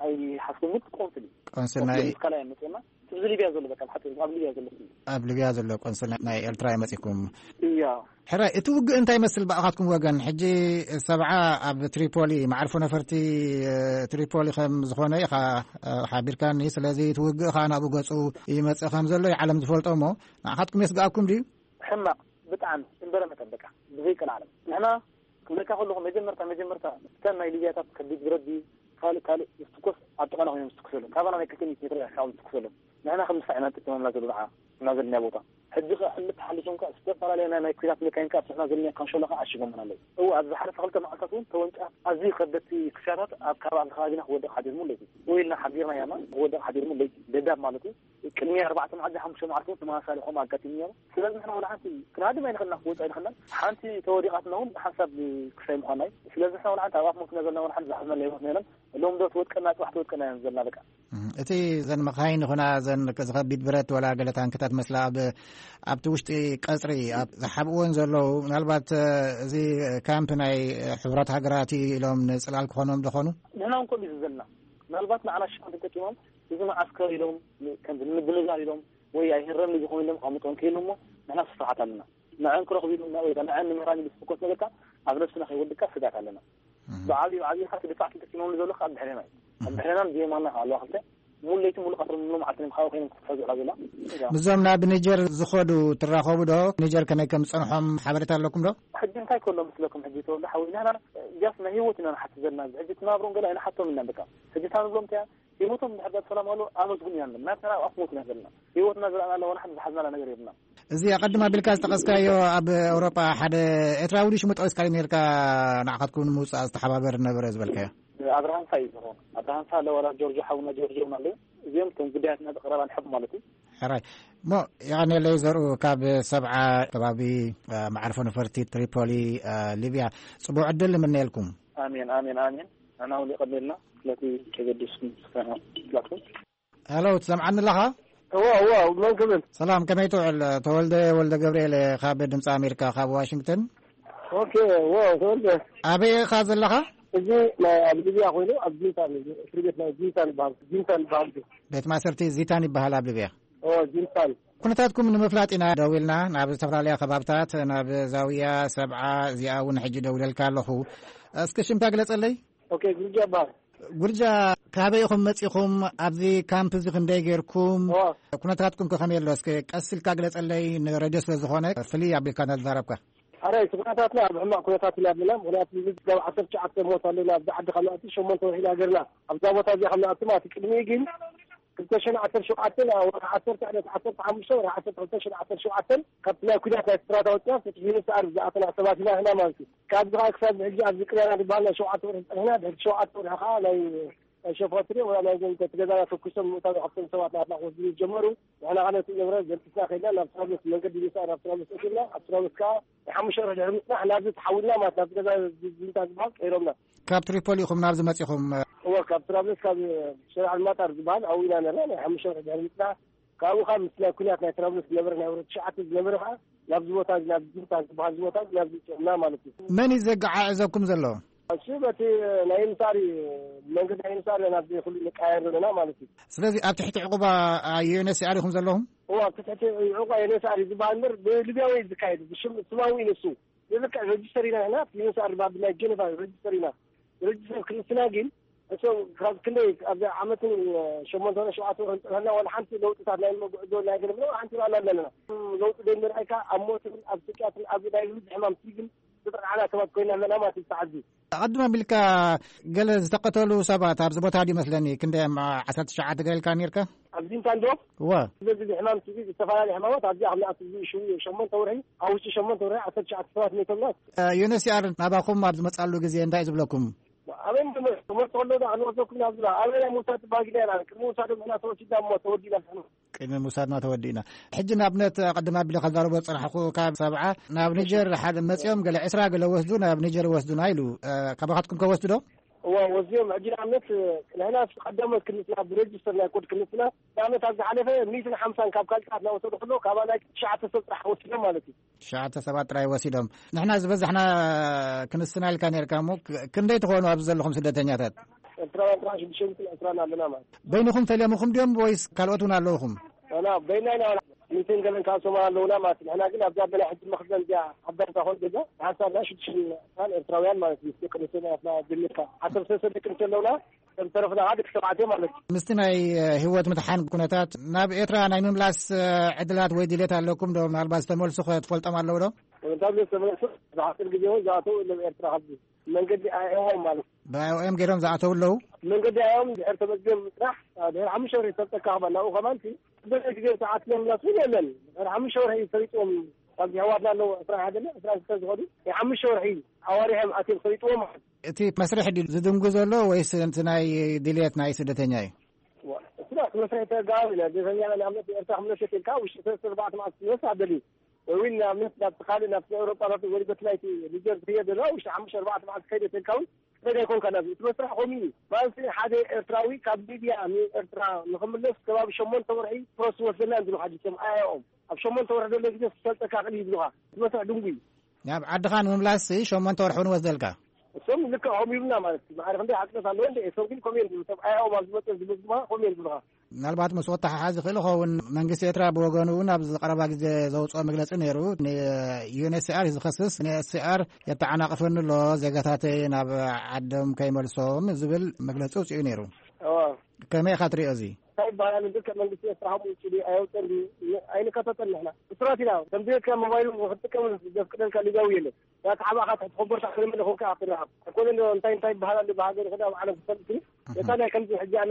ኣይሓስኩም፣ ግን ቆንስል እዩ። ቆንስል ናይ ቆንስል ምስ ካልኣይ መጽና። እዚ ሊብያ ዘሎ በቃ፣ ብሓጺሩ ኣብ ሊብያ ዘሎ ስም። ኣብ ሊብያ ዘሎ ቆንስል ናይ ኤርትራ እዩ መጺኩም? እያ። ሕራይ፣ እቲ ውግእ እንታይ ይመስል ብኣኻትኩም ወገን? ሕጂ ሰብዓ ኣብ ትሪፖሊ፣ መዓርፎ ነፈርቲ፣ እ፣ ትሪፖሊ ከም ዝኾነ ኢኻ፣ እ፣ ሓቢርካኒ። ስለዚ እቲ ውግእ ኸኣ ናብኡ ገጹ ይመጽእ ከም ዘሎ እዩ ዓለም ዝፈልጦ እሞ፣ ንኣኻትኩም የስግኣኩም ድዩ? ሕማቕ፣ ብጣዕሚ እምበረ መጠን በቃ፣ ብዘይቀልዓለም። ንሕና ከለኹ መጀመርታ መጀመርታ እተን ናይ ሊብያታት ከቢድ ብረት ድዩ ካልእ ካልእ ዝትኮስ ኣብ ጥቓና ኮይኖም ዝትኩሰሎም፣ ካባና ናይ ክልተ ሚእቲ ሜትሮ ርሕቃ እዮም ዝትኩሰሎም። ንሕና ከም ድፋዕ ኢና ንጥቀመላ ዘሎ ንዓ እና ዘለናዮ ቦታ። ሕጂ ከ ሕልፍ ተሓሊፎም ከ ዝተፈላለያ ናይ ናይ ኩናት መካይን ከ ኣብ ስሕና ዘለና ካንሸሎ ከ ዓሺጎምና ኣለዉ። እወ፣ ኣብ ዝሓለፈ ክልተ መዓልታት እውን ተወንጫፍ ኣዝዩ ከበድቲ ክሻታት ኣብ ከባቢ ከባቢና ክወድቕ ሓዲርሙ ኣለዩ። እወ ኢልና ሓቢርና ያማ ክወድቕ ሓዲርሙ ኣለዩ። ደዳብ ማለት እዩ። ቅድሚ ኣርባዕተ መዓልቲ ሓሙሽተ መዓልቲ እውን ተመሳሳሊ ከምኡ ኣጋጢሙ ነይሩ። ስለዚ ንሕና ወላ ሓንቲ ክንሃድም ኣይንኽእልና፣ ክወጽእ ኣይንኽእልና። ሓንቲ ተወዲቓትና እውን ሓንሳብ ክሳይ ምዃና እዩ። ስለዚ ንሕና ወላ ሓንቲ ኣብ ኣፍ ሞትና ዘለና ወላ ሓንቲ ዝሓዝናላ ህይወትና የለን። ሎም ዶ ትወድቀና፣ ጽባሕ ትወድቀና እየን ዘለና በቃ። እም፣ እቲ ዘን መኻይን ይኹና ዘን ዝኸቢድ ብረት ወላ ገለ ታንክታት መስላ ኣብ፣ ኣብቲ ውሽጢ ቀጽሪ ኣብ ዝሓብእወን ዘለዉ፣ ምናልባት፣ እ፣ እዚ ካምፕ ናይ ሕቡራት ሃገራት እዩ ኢሎም ንጽላል ክኾኖም ዶ ኾኑ? ንሕና እውን ከምኡ እዩ ዘለና። ምናልባት ንዓና ሽፋን ተጠቂሞም እዚ መዓስከር ኢሎም ከም ንምድንጋር ኢሎም ወይ ኣይህረም ዝኾኑ ኢሎም ኣቐምጦም ከይሉ እሞ ንሕና ስፍርሓት ኣለና። ንዐን ክረኽቡ ኢሉ ወይ ንዐን ንምራን ኢሉ ዝፍኮስ ነገር ከኣ ኣብ ነብስና ከይወድካ ስጋት ኣለና። እም። ብዓብዩ፣ ብዓብዩ ከኣ እቲ ድፋዕ ተጠቂሞም ዘሎ ከኣ ኣብ ድሕሬና እዩ። ኣብ ድሕሬናን ብየማንና ከኣ ኣለዋ ክልተ። ሙሉ ለይቲ ሙሉ ቀትሪ ሙሉ መዓልቲ እዮም ካብኡ ኮይኖም ክሕዙ ዕላ ዘላ። ምስዞም ናብ ኒጀር ዝኸዱ ትራኸቡ ዶ? ኒጀር ከመይ ከም ዝጸንሖም ሓበሬታ ኣለኩም ዶ? ሕጂ እንታይ ከሎ መስለኩም? ሕጂ ተወልደ ሓወይ፣ ንሕና ጃስ ናይ ህይወት ኢና ንሓስብ ዘለና። ሕጂ ትናብሮም ገለ ኣይንሓቶም ኢና በቃ። ሕጂ እታ ንብሎም እንታይ እያ? ህይወቶም እንድሕር ዳኣ ሰላም ኣሎ ኣመስግኑ ኢና ንብል። ናትና ኣብ ኣፍ ሞት ኢና ዘለና። ህይወትና ዝረኣናላ ዋላ ሓንቲ ዝሓዝናላ ነገር የብልና። እዚ ኣቐድም ኣቢልካ ዝጠቐስካዮ ኣብ ኤውሮጳ ሓደ ኤርትራዊ ድዩ ሽሙ ጠቒስካ ነርካ ንዓኻትኩም ንምውጻእ ዝተሓባበር ነበረ ዝበልካዮ? ኣብርሃም ፋ እዩ ዝኸውን። ኣብርሃም ፋ ኣለዋላ ጆርጆ ሓውና ጆርጆ እውን ኣለዉ። እዚኦም እቶም ጉዳያትና ብቐረባ ንሕብ ማለት እዩ። ሕራይ። እሞ የቐንየለይ ዘርኡ ካብ ሰብዓ ከባቢ፣ እ፣ መዓርፎ ነፈርቲ ትሪፖሊ፣ እ፣ ሊብያ። ጽቡቕ ዕድል ንምነየልኩም። ኣሜን፣ ኣሜን፣ ኣሜን። ንሕና እውን የቐንየልና ስለቲ ከገዲስኩም ስካትኩም። ሄሎ፣ ትሰምዓኒ ኣለኻ? እዋ፣ እዋ፣ መን ክብል? ሰላም፣ ከመይ ትውዕል? ተወልደ ወልደ ገብርኤል እየ፣ ካብ ድምፂ ኣሜሪካ፣ ካብ ዋሽንግተን። ኦኬ፣ እዋ፣ ተወልደ። ኣበይ ኢኻ ዘለኻ? እዚ ናይ ኣብ ሊብያ ኮይኑ፣ ኣብ ዚንታን እዩ። እስሪ ቤት ናይ ዚንታን ይበሃል። ዚንታን ይበሃል። ቤት ማእሰርቲ ዚታን ይበሃል ኣብ ሊብያ። ኦ፣ ዚንታን። ኩነታትኩም ንምፍላጥ ኢና ደዊልና፣ ናብ ዝተፈላለያ ከባብታት፣ ናብ ዛውያ፣ ሰብዓ፣ እዚኣ እውን ሕጂ ደውለልካ ኣለኹ። እስኪ ሽምካ ግለጸለይ። ኦኬ፣ ጉርጃ ይበሃል። ጉርጃ፣ ካበይ ኢኹም መጺኹም? ኣብዚ ካምፕ እዚ ክንደይ ጌርኩም? እዋ። ኩነታትኩም ከ ከመይ ኣሎ? እስኪ ቀስ ኢልካ ግለጸለይ፣ ንሬድዮ ስለ ዝኾነ ፍልይ ኣቢልካ እንዳተዛረብካ። ኣረ፣ እቲ ኩነታትና ኣብ ሕማቕ ኩነታት ኢና ኣለና። ምኽንያቱ፣ እዚ ካብ ዓሰርተ ትሽዓተ ሞት ኣለና። ኣብዚ ዓዲ ካብ ንኣቱ ሸሞንተ ወርሒ ኢና ገርና። ኣብዛ ቦታ እዚኣ ካብ ንኣቱ ማለት እዩ። ቅድሚኡ ግን ክልተ ሽሕን ዓሰርተ ሸውዓተን ኣብ ወርሒ ዓሰርተ ዕለት ዓሰርተ ሓሙሽተ ወርሒ ዓሰርተ ክልተ ሽሕን ዓሰርተ ሸውዓተን ካብቲ ናይ ኩናት ናይ ስራት ኣውፅና ፍትሒ ንስኣር ዝኣተና ሰባት ኢና ንሕና ማለት እዩ። ካብዚ ከዓ ክሳብ ሕጂ ኣብዚ ቅዳና ዝበሃል ናይ ሸውዓተ ወርሒ ፀኒሕና፣ ድሕሪ ሸውዓተ ወርሒ ከዓ ናይ፣ ናይ ሸፋትሪ ወላ ናይ ዘንተ ገዛና ተኩሶም ምእታው ካብቶም ሰባት ናትና ክወስዱ ዝጀመሩ። ንሕና ከዓ ነቲ ንብረት ዘንቲስና ከይድና ናብ ትራብሎስ መንገዲ ምስኣር ናብ ትራብሎስ ኣቲና። ኣብ ትራብሎስ ከዓ ናይ ሓሙሽተ ወርሒ ድሕሪ ምፅናሕ ናብዚ ተሓዊልና ማለት ናብዚ ገዛ ዚንታ ዝበሃል ቀይሮምና። ካብ ትሪፖሊ ኢኹም ናብዚ መፂኹም? እወ፣ ካብ ትራብሎስ ካብ ሸሪዓ ልማጣር ዝበሃል ኣብኡ ኢና ነርና። ናይ ሓሙሽተ ወርሒ ድሕሪ ምፅናሕ ካብኡ ካብ ምስ ናይ ኩናት ናይ ትራብሎስ ዝነበረ ናይ ወረዳ ትሽዓተ ዝነበረ ከዓ ናብዚ ቦታ እዚ፣ ናብ ዚንታ ዝበሃል እዚ ቦታ እዚ ናብዚ ፅዕና ማለት እዩ። መን እዩ ዘገዓዕዘኩም ዘሎ? እሱ በቲ ናይ ምሳሪ መንገዲ ናይ ምሳሪ ናብዚ ኩሉ ንቃየር ዘለና ማለት እዩ። ስለዚ ኣብ ትሕቲ ዕቑባ ዩ ኤን ኤች ሲ ኣር ኢኹም ዘለኹም? እዋ፣ ኣብ ትሕቲ ዕቑባ ዩ ኤን ኤች ሲ ኣር እዩ ዝበሃል እምበር ብሊብያዊ እዩ ዝካየድ። ብሽም ስማዊ እዩ ንሱ። ብልክዕ ረጅስተር ኢና ንሕና፣ ዩ ኤን ኤች ሲ ኣር ድማ ብናይ ጀነቫ ረጅስተር ኢና። ረጅስተር ክንስና ግን እቶም ካብ ክንደይ ኣብዚ ዓመትን ሸሞንተ ወርሒ ሸውዓተ ወርሒ ዝፀንሐና ዋላ ሓንቲ ለውጥታት ናይ መጉዕዞ ናይ ገለ ዋላ ሓንቲ ርኣና ኣለና። ለውጢ ዘይምርኣይካ ኣብ ሞትን ኣብ ስቅያትን ኣብ ናይ ብዙሕ ሕማም ሲግን ዝጠቕዓና ሰባት ኮይና ኣለና ማለት እዩ። ተዓዚ ኣቐድም ኣቢልካ ገለ ዝተቐተሉ ሰባት ኣብዚ ቦታ ድዩ መስለኒ፣ ክንደይ፣ ዓሰርተ ትሽዓተ ገለ ኢልካ ነርካ? ኣብዚ እንታይ እንዶ እወ። ስለዚ ሕማም ትቢ ዝተፈላለዩ ሕማማት ኣብዚ ኣብ ንኣት እዚ ሽው ሸሞንተ ወርሒ፣ ኣብ ውሽጢ ሸሞንተ ወርሒ ዓሰርተ ትሽዓተ ሰባት ሞይቶምና። ዩ ኤን ኤች ሲ ኣር ናባኹም ኣብ ዝመጻሉ ግዜ እንታይ እዩ ዝብለኩም? ኣበይ ምመ-፣ ክመርጽ ከሎ ዳ ክንወስደኩም ናብ ዝብላ፣ ኣበይ ናይ ምውሳድ ባህጊና ኢና። ቅድሚ ምውሳዶም ንሕና ተወሲድና እሞ ተወዲና። ቅድሚ ምውሳድና ተወዲእና። ሕጂ ንኣብነት ቀደም ኣቢለ ካብ ዛረቦ ዝጸናሕኩ ካብ ሰብዓ ናብ ኒጀር ሓደ መጺኦም ገለ ዕስራ ገለ ወስዱ ናብ ኒጀር ወስዱና ኢሉ። እ፣ ካባኻትኩም ከ ወስዱ ዶ? እዋ፣ ወስድዮም። ሕጂ ንኣብነት ንሕና ቀደሞት ክንስና ብሬጅስተር ናይ ኮድ ክንስና ንኣብነት ኣብ ዝሓለፈ ሚእትን ሓምሳን ካብ ካልታት እናወሰዱ ከሎ ካባ ናይ ትሽዓተ ሰብ ጥራሕ ወሲዶም ማለት እዩ። ትሽዓተ ሰባት ጥራይ ወሲዶም። ንሕና ዝበዛሕና ክንስና ኢልካ ነርካ እሞ ክ-፣ ክንደይ ትኾኑ ኣብዚ ዘለኹም ስደተኛታት? ኤርትራውያን ጥራሕ ሽዱሽተ ሚእትን ዕስራን ኣለና ማለት። በይንኹም ፈሊዮምኹም ድዮም ወይስ ካልኦት እውን ኣለውኹም? ኣና በይና ኢና። ሚእትን ገለን ካብ ሶማል ኣለውና ማለት እዩ። ንሕና ግን ኣብዛ በላይ ሕጂ መኽዘን እዚኣ ዓባይ እዛ ኾን ገዛ ሓንሳብ ናይ ሽዱሽተ ሚእትን ኤርትራውያን ማለት እዩ። ደቂ ኣንስትዮ ናትና ጀሚርካ ዓሰርተ ሰለስተ ደቂ ኣንስትዮ ኣለውና። ዝተረፍና ከዓ ደቂ ተባዕትዮ ማለት እዩ። ምስቲ ናይ፣ እ፣ ህይወት ምድሓን ኩነታት ናብ ኤርትራ ናይ ምምላስ፣ እ፣ ዕድላት ወይ ድሌት ኣለኩም ዶ? ምናልባት ዝተመልሱ ከ ትፈልጦም ኣለዉ ዶ? ተመልሶም ተመለሱ። ብሓፂር ግዜ እውን ዝኣተው የለን ኤርትራ። ካብዚ መንገዲ ኣይኦም ማለት ብኣይኦም ገይሮም ዝኣተው ኣለዉ። መንገዲ ኣይኦም ድሕር ተመዝገብ ጥራሕ ድሕር ሓሙሽተ ወርሒ ተጠቃ ናብኡ ከማን በዚ ግዜ ሰዓት ለምላስ እውን የለን። ድሕር ሓሙሽተ ወርሒ ፈሪጥዎም ካብ ዝሕዋትና ኣለዉ ዕስራ ሓደ ዕስራ ክልተ ዝኸዱ ናይ ሓሙሽተ ወርሒ ኣዋሪሖም ኣትዮም ፈሪጥዎም ማለት። እቲ መስርሕ ድዩ ዝድንጉ ዘሎ ወይስ እቲ ናይ ድልየት ናይ ስደተኛ እዩ? እሱዳ እቲ መስርሕ ተጋባብ ኢና። ስደተኛ ንኣብነት ኤርትራ ክምለስ ኢልካ ውሽጢ ሰለስተ ኣርባዕተ መዓልቲ ክመልስ ኣደልዩ። ወይ እውን ንኣብነት ናብ ካልእ ናብ ኤውሮጳ ናብ ወይ በቲ ናይቲ ሊጀር ዝኽየድ ዘሎ ውሽጢ ሓሙሽተ ኣርባዕተ መዓልቲ ከይደ ተልካ እውን ክትኸይድ ኣይኮንካ። ናብዚ እቲ መስርሕ ከምኡ እዩ። ማለት ሓደ ኤርትራዊ ካብ ሊብያ ንኤርትራ ንኽምለስ ከባቢ ሸሞንተ ወርሒ ፕሮስ ወስደና እንድሉ ሓዲሶም ኣያኦም ኣብ ሸሞንተ ወርሒ ዘሎ ግዜ ክሰልጠካ ክእል ይብሉኻ። እቲ መስርሕ ድንጉ እዩ። ናብ ዓድኻ ንምምላስ ሸሞንተ ወርሒ እውን ወስደልካ? እሶም ልክዕ ከምኡ ይብሉና ማለት እዩ። ማዕረ ክንደይ ሓቅነት ኣለዎ እንደ እሶም ግን ከምኡ እዮም ዝብሉ። ሰብ ኣያኦም ኣብ ዝመጠ ዝመዝግባ ከምኡ እዮም ዝብሉኻ። ምናልባት ምስ ወተሓሓዝ ይኽእል ይኸውን። መንግስቲ ኤርትራ ብወገኑ እውን ኣብዚ ቀረባ ግዜ ዘውፅኦ መግለፂ ነይሩ። ንዩኤንኤችሲኣር እዩ ዝኸስስ። ዩኤንኤችሲኣር የተዓናቕፈኒ ኣሎ፣ ዜጋታተይ ናብ ዓዶም ከይመልሶም ዝብል መግለፂ ውፅኡ ነይሩ። እዋ። ከመይ ኢኻ ትሪኦ እዚ? እንታይ ይበሃል? ልክዕ መንግስቲ ኤርትራ ከምኡ ውፅኡ ድዩ ኣየውፅኦን ድዩ? ኣይንከታተል ንሕና። እሱራት ኢና። ከም ዘይካ ሞባይሉ ክትጥቀም ዘፍቅደልካ ሊጋዊ የለን። ያ ተሓባእኻ ትሕቲ ኮቦርታ ክትምለ ኮንካ ክትረኸብ። ኣይኮነን ዶ እንታይ እንታይ ይበሃል ኣሎ ብሃገር ይኹን ኣብ ዓለም ክፈልጥ ግን ነታ ናይ ከምዚ ሕጂ ኣነ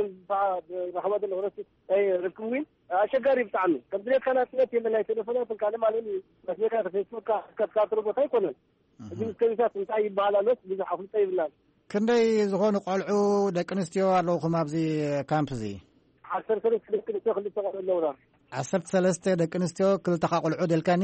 ዝረኸበ ዘሎ ክረስት ናይ ርክብ እውን ኣሸጋሪ ብጣዕሚ። ከም ድሌትካ ናጽነት የለ ናይ ቴሌፎናት ካልእ ማለት እዩ። መስለካ ፌስቡክካ ክትከታተሎ ቦታ ኣይኮነን። እዚ ምስ ከቢታት እንታይ ይበሃል ኣሎስ ብዙሕ ኣፍልጦ ይብልናን። ክንደይ ዝኾኑ ቆልዑ ደቂ ኣንስትዮ ኣለውኹም ኣብዚ ካምፕ እዚ? ዓሰርተ ሰለስተ ደቂ ኣንስትዮ ክልተ ቆልዑ ኣለውና። ዓሰርተ ሰለስተ ደቂ ኣንስትዮ ክልተኻ ቆልዑ ደልካኒ?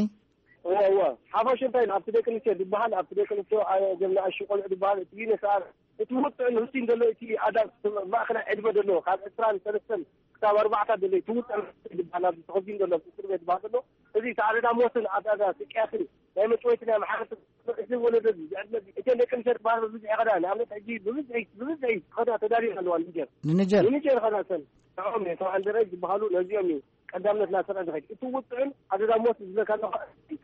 እወ፣ እወ። ሓፋሽ እንታይ ኣብቲ ደቂ ኣንስትዮ ዝበሃል፣ ኣብቲ ደቂ ኣንስትዮ፣ አ፣ እዞም ንኣሽቱ ቆልዑ ዝበሃል፣ እቲ ዩኔስኣር፣ እቲ ውጥዕ ንህልቲ ዘሎ፣ እቲ ኣዳ-፣ ማእከላይ ዕድመ ዘሎ፣ ካብ ዕስራን ሰለስተን ክሳብ ኣርባዕተ ዘሎ፣ እቲ ውጥዕ ዝበሃል፣ ኣብዚ ተኸዚኑ ዘሎ፣ ኣብ እስር ቤት ዝበሃል ዘሎ፣ እዚ እቲ ኣደዳ ሞትን ኣደዳ ስቅያትን ናይ መጭወይቲ ናይ ማሕበረሰብ፣ እዚ ወለዶ እዚ፣ እዚ ዕድመ እዚ፣ እተን ደቂ ኣንስትዮ ዝበሃል ብብዝሒ ይኸዳ፣ ንኣብነት ሕጂ ብብዝሒ፣ ብብዝሒ ይኸዳ ተዳልየን ኣለዋ ንኒጀር። ንኒጀር? ንኒጀር ይኸዳ እተን። ንዕኦም እዮም፣ ተባዕን ደረጅ ዝበሃሉ ነዚኦም እዩ። ቀዳምነት እናሰርዐ ዝኸይድ። እቲ ውጥዕን ኣደዳ ሞት ዝብለካ ኣለኹ፣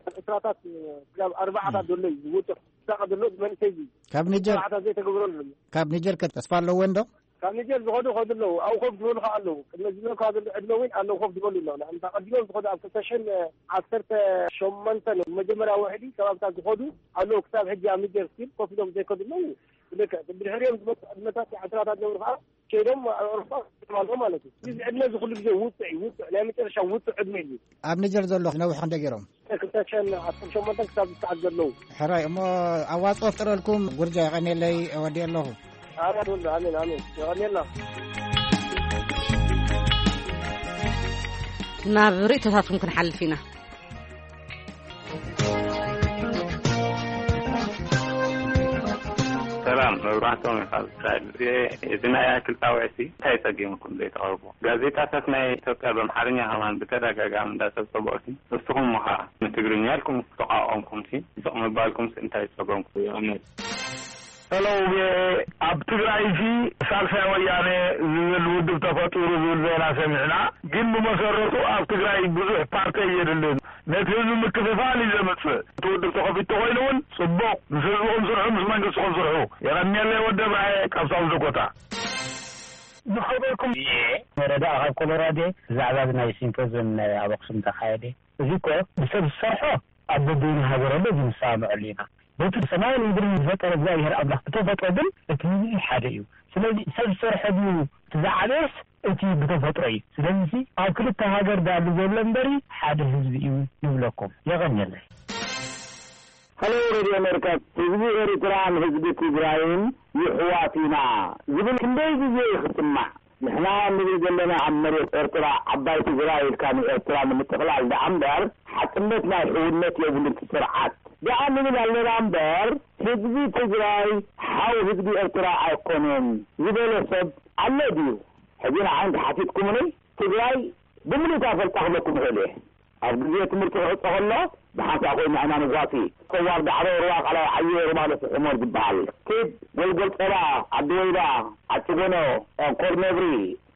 ካብ ዕስራታት ክሳብ ኣርባዓታት ዘሎ እዩ ዝውጥዕ። ዝሳቐ ዘሎ መንእሰይ እዩ። ካብ ኒጀር? ስርዓታት ዘይተገብረሉ ዘሎ። ካብ ኒጀር ከ ተስፋ ኣለዎ እንዶ? ካብ ኒጀር ዝኸዱ ይኸዱ ኣለዉ። ኣብኡ ኮፍ ዝበሉ ከዓ ኣለዉ። ቅድሚ ዝብለካ ዘሎ ዕድመ እውን ኣለዉ ኮፍ ዝበሉ ኣለዉ። ንኣብነት ኣቐዲሞም ዝኸዱ ኣብ ክልተ ሽሕን ዓሰርተ ሸሞንተን መጀመርያ ውሕዲ ከባብታት ዝኸዱ ኣለዉ። ክሳብ ሕጂ ኣብ ኒጀር ስቲል ኮፍ ኢሎም ዘይከዱ ኣለዉ። ብልክዕ ብድሕሪኦም ዝመፁ ዕድመታት ዕስራታት ዝነብሩ ከዓ ከይዶም ኣብ ኣውሮፓ ኣለዉ ማለት እዩ። እዚ ዕድመ እዚ ኩሉ ግዜ ውጥዕ እዩ፣ ውጥዕ፣ ናይ መጨረሻ ውጥዕ ዕድመ እዩ። ኣብ ኒጀር ዘሎ ነዊሕ ክንደይ ገይሮም? ክልተ ሽሕን ዓሰርተ ሸሞንተን ክሳብ ዝሰዓት ዘለዉ። ሕራይ፣ እሞ ኣዋፅኦ ፍጥረልኩም ጉርጃ የቐንየለይ፣ እወድእ ኣለኹ። ኣሜን፣ ኣሜን፣ ኣሜን። የቐንየልና። ናብ ርእይቶታትኩም ክንሓልፍ ኢና። ሰላም፣ መብራህቶም እዩ ካብ እስራኤል። እዚ፣ እዚ ናይ ኣክል ጣውዒት እዚ እንታይ ጸጊምኩም ዘይተቕርቦ? ጋዜጣታት ናይ ኢትዮጵያ ብኣምሓርኛ ከማን ብተደጋጋሚ እንዳጸብጸቦ፣ ንስኹም ምኻ ንትግርኛ ኢልኩም ዝተቋቋምኩም ሲ፣ ስቕ ምባልኩም ሲ እንታይ ጸገምኩም? ይቕንየል። ሄሎ፣ ኣብ ትግራይ ሲ ሳልሳይ ወያነ ዝብል ውድብ ተፈጢሩ ዝብል ዜና ሰሚዕና፣ ግን ብመሰረቱ ኣብ ትግራይ ብዙሕ ፓርቲ የድልን። ነቲ ህዝቢ ምክፍፋል እዩ ዘምጽእ። እቲ ውድብ ተኸፊቱ ተኾይኑ እውን ጽቡቕ። ምስ ህዝብኹም ስርሑ፣ ምስ መንግስትኹም ስርሑ። የቐንየለይ ወዲ እብራሂ ካብ ሳውዝ ዳኮታ። ዝኸበርኩም እየ። መረዳእ ካብ ኮሎራዶ ብዛዕባ እዚ ናይ ሲምፖዝየም ናይ ኣብ ኣኽሱም ተኻየደ። እዚ እኮ ብሰብ ዝሰርሖ ኣብ በበይኑ ሃገር ኣሎ፣ እዚ ንሰማምዐሉ ኢና። በቲ ሰማይን ምድርን ዝፈጠረ እግዚኣብሔር ኣምላኽ ብተፈጥሮ ግን እቲ ህዝቢ ሓደ እዩ። ስለዚ ሰብ ዝሰርሖ ድዩ እቲ ዝዓበየስ እቲ ብተፈጥሮ እዩ። ስለዚ ኣብ ክልተ ሃገር ዳሉ ዘሎ እምበሪ ሓደ ህዝቢ እዩ ንብለኩም። የቐንየለይ። ሄሎ ሬድዮ ኣሜሪካ፣ ህዝቢ ኤርትራን ህዝቢ ትግራይን ይሕዋት ኢና ዝብል ክንደይ ግዜ እዩ ክስማዕ? ንሕና ንብል ዘለና ኣብ መሬት ኤርትራ ዓባይ ትግራይ ኢልካ ንኤርትራ ንምጥቕላል ደኣ እምበር ሓቅነት ናይ ሕውነት የብሉን እቲ ስርዓት። ደኣ ንብል ኣለና እምበር ህዝቢ ትግራይ ሓው ህዝቢ ኤርትራ ኣይኮነን ዝበለ ሰብ ኣሎ ድዩ? ሕጂ ንዓይ እንተሓቲትኩምኒ ትግራይ ብምሉእ እታ ፈልጣ ክብለኩም እኽእል እየ። ኣብ ግዜ ትምህርቲ ክዕጾ ከሎ ብሓንሳእ ኮይኑ ንሕና ንጓሲ። ሰዋር ዳዕሮ፣ ሩባ ቃላይ፣ ዓየ ሩባ፣ ለፍሒ ሞር ዝበሃል። ኪድ፣ ጎልጎል ጸባ፣ ዓዲ ወይባ፣ ዓዲ ጎኖ፣ ኮር ነብሪ፣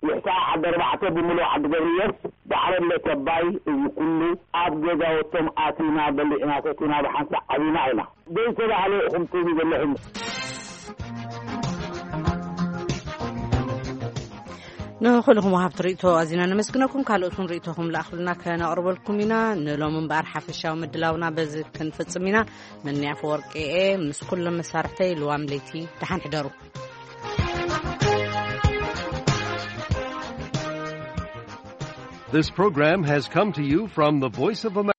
ይሕሳ፣ ዓዲ ኣርባዕተ፣ ብምሉእ ዓዲ ገብርዮስ፣ ዳዕሮ፣ ለተባይ፣ እዚ ኩሉ ኣብ ገዛውቶም ኣቲና፣ በሊዕና፣ ሰቲና፣ ብሓንሳእ ዓቢና ኢና። ዘይተባህለ ኢኹም ትብሉ ዘለኹም። ንኹልኹም ወሃብቲ ርእይቶ ኣዚና ነመስግነኩም። ካልኦት እውን ርእይቶኹም ለኣኽሉና ከነቕርበልኩም ኢና። ንሎም እምበኣር ሓፈሻዊ ምድላውና በዚ ክንፍጽም ኢና። መኒ ኣፈወርቂ እየ ምስ ኩሎም መሳርሕተይ ልዋም ለይቲ ደሓን ሕደሩ። This program has come to you from the Voice of America.